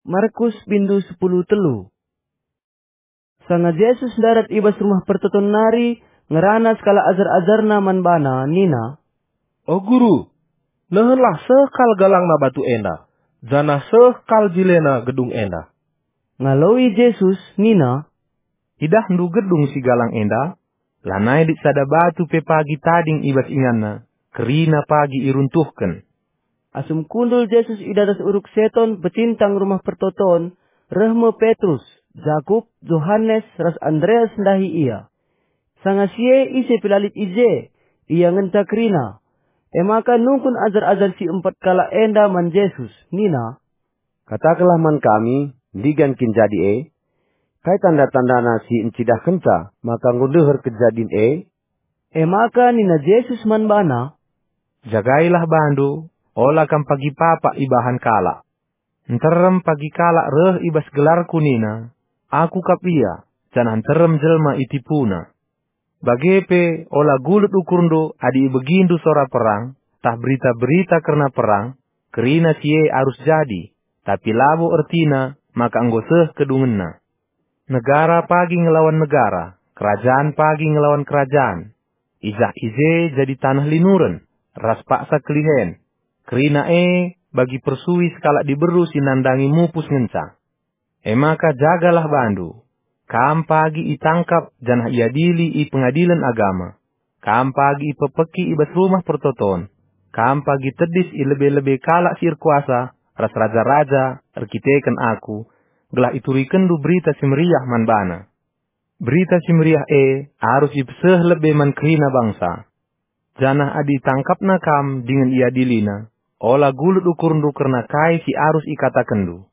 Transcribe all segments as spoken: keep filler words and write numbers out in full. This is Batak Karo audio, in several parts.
Markus bindu sepuluh telu. Sanga Jesus ndarat i bas Rumah Pertoton nari, ngerana sekalak ajar-ajarNa man baNa nina, "O Guru, nehenlah seh kal galangna batu enda, janah seh kal jilena gedung enda." Ngaloi Jesus nina, "Idahndu gedung si galang enda? Lanai lit sada batu pe pagi tading i bas inganna, kerina pagi iruntuhken." Asum kundul Jesus i datas uruk Seton pecintang Rumah Pertoton, reh me Petrus, Jakup, Johanes, ras Andreas ndahi Ia. Sanga si e ise pe la lit i je, ia ngenca kerina. E maka nungkun ajar-ajar si empat kalak enda man Jesus, nina, "Katakenlah man kami, ndigan kin jadi e? Kai tanda-tandana si ncidahkenca maka enggo ndeher kejadin e?" E maka nina Jesus man bana, "Jagailah bandu, ola kam pagi papak ibahan kalak." Nterem pagi kalak reh i bas gelarKu nina, "Aku kap ia," janah nterem jelma itipuna. Bage pe ola gulut ukurndu adi ibegindu sora perang, tah berita-berita kerna perang, kerina si e arus jadi, tapi labo ertina maka enggo seh kedungenna. Negara pagi ngelawan negara, kerajan pagi ngelawan kerajan. I jah i je jadi taneh linuren, ras paksa kelihen. Kerina e bagi persui sekalak diberu si nandangi mupus ngenca. E maka jagalah bandu. Kam pagi itangkap janah iadili i pengadilen agama. Kam pagi ipepeki i bas Rumah Pertoton. Kam pagi tedis i lebe-lebe kalak si erkuasa ras raja-raja erkiteken Aku, gelah iturikenndu Berita Si Meriah man bana. Berita Si Meriah e arus ipeseh lebe man kerina bangsa. Janah adi itangkapna kam dingen iadilina, ola gulut ukurndu kerna kai si arus ikatakenndu.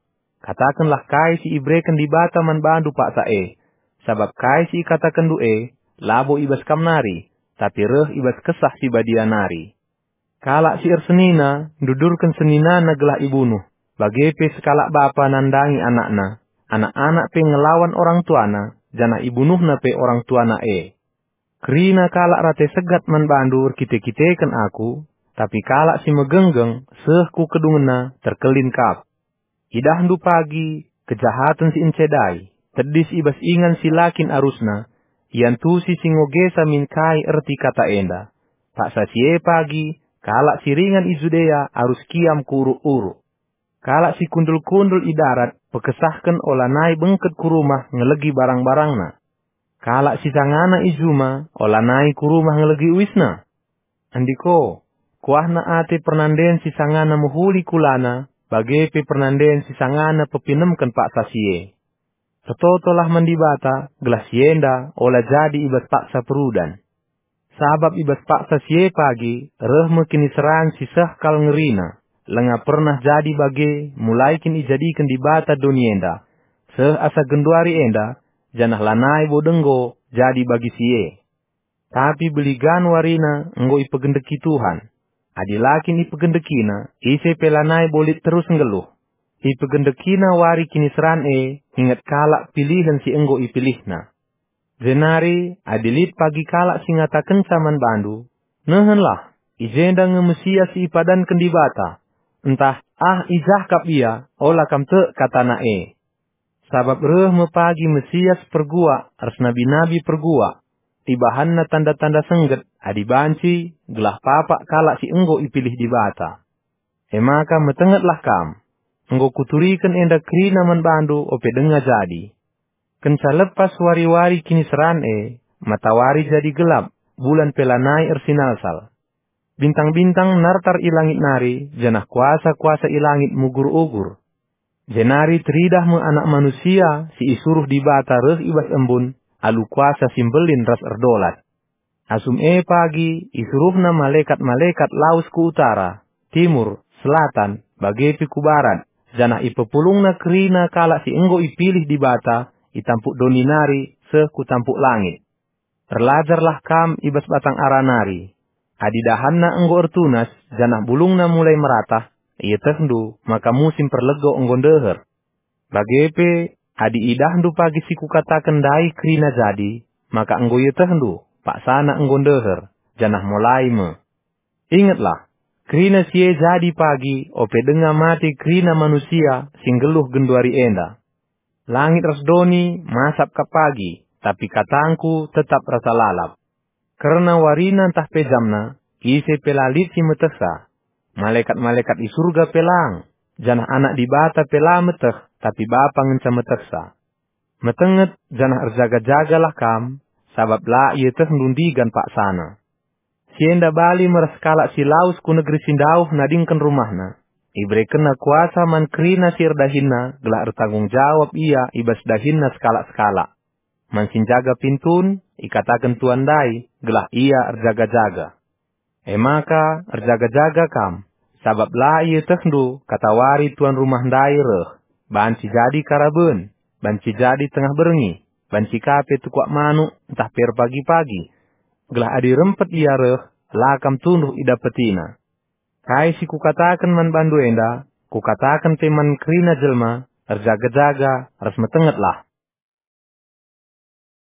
Katakenlah kai si ibereken Dibata man bandu paksa e, sabap kai si ikatakenndu e labo i bas kam nari, tapi reh i bas Kesah Si Badia nari. Kalak si ersenina ndudurken seninana gelah ibunuh, bage pe sekalak bapa nandangi anakna, anak-anak pe ngelawan orang tuana, janah ibunuhna pe orang tuana e. Kerina kalak rate segat man bandu erkite-kiteken Aku, tapi kalak si megenggeng seh ku kedungenna terkelin kap. Idahndu pagi kejahaten si encedai, tedis i bas ingan si la kin arusna, iantusi si ngogesa min kai erti kata enda. Paksa si e pagi, kalak si ringan i Judea arus kiam ku uruk-uruk. Kalak si kundul-kundul i darat pekesahken olanai bengket ku rumah ngelegi barang-barangna. Kalak si sangana i juma olanai ku rumah ngelegi uisna. Andiko, kuahna ate pernanden si sangana mehuli kulana, bage pe pernanden si sangana pepinemken paksa si e. Ertotolah man Dibata, gelah si enda ola jadi i bas paksa perudan. Sabap i bas paksa si e pagi reh me kiniseran si seh kal ngerina, langa pernah jadi bage mulai kin ijadiken Dibata doni enda, seh asa genduari enda, janah lanai bo denggo jadi bagi si e. Tapi beligan warina enggo ipegendeki Tuhan. Adi la kin ipegendekina, ise pe lanai bo lit terus nggeluh. Ipegendekina wari kiniseran e, inget kalak pilihen si enggo ipilihna. Jenari, adi lit pagi kalak si ngatakenca man bandu, "Nehenlah, i jenda nge Mesias si ipadanken Dibata," ntah, "Ah, i jah kap ia," ola kam tek katana e. Sabap reh me pagi Mesias perguak ras nabi-nabi perguak. Ibahanna tanda-tanda sengget adi banci, gelah papak kalak si enggo ipilih Dibata. E maka metengetlah kam. Enggo kuturiken enda kerina man bandu ope denga jadi. Kenca lepas wari-wari kiniseran e, matawari jadi gelap, bulan pe lanai ersinalsal. Bintang-bintang nartar i langit nari, janah kuasa-kuasa i langit mugur-ugur. Jenari teridah me Anak Manusia si isuruh Dibata reh i bas embun alu kuasa si mbelin ras erdolat. Asum e pagi isuruhna malekat-malekat lawes ku utara, timur, selatan, bage pe ku barat, janah ipepulungna kerina kalak si enggo ipilih Dibata i tampuk doni nari seh ku tampuk langit. Erlajarlah kam i bas batang ara nari. Adi dahanna enggo ertunas, janah bulungna mulai meratah, ietehndu maka musim perlego enggo ndeher. Bage pe, adi idahndu pagi si kukataken ndai kerina jadi, maka enggo ietehndu, paksana enggo ndeher, janah mulai me. Ingetlah, Kerina si e jadi pagi ope denga mate kerina manusia si nggeluh genduari enda. Langit ras doni masap kap pagi, tapi katangKu tetap rasa lalap. Kerna warina ntah pe jamna, ise pe la lit si metehsa. Malekat-malekat i Surga pe lang, janah Anak Dibata pe la meteh, tapi Bapa ngenca metehsa. Metenget janah erjaga-jagalah kam, sabap la ietehndu ndigan paksana. Si enda bali me ras kalak si lawes ku negeri si ndauh nadingken rumahna. Iberekenna kuasa man kerina si erdahinna gelah ertanggung jawab ia i bas dahinna sekalak-sekalak. Man si njaga pintun, ikataken tuan ndai, gelah ia erjaga-jaga. E maka, erjaga-jaga kam, sabap la ietehndu katawari tuan rumah ndai reh, banci jadi karaben, banci jadi tengah berngi, banci ka pe tukuak manuk ntah pe erpagi-pagi, gelah adi rempet ia reh, la kam tunduh idapetina. Kai si Kukataken man bandu enda, Kukataken pe man kerina jelma, erjaga-jaga, ras metengetlah.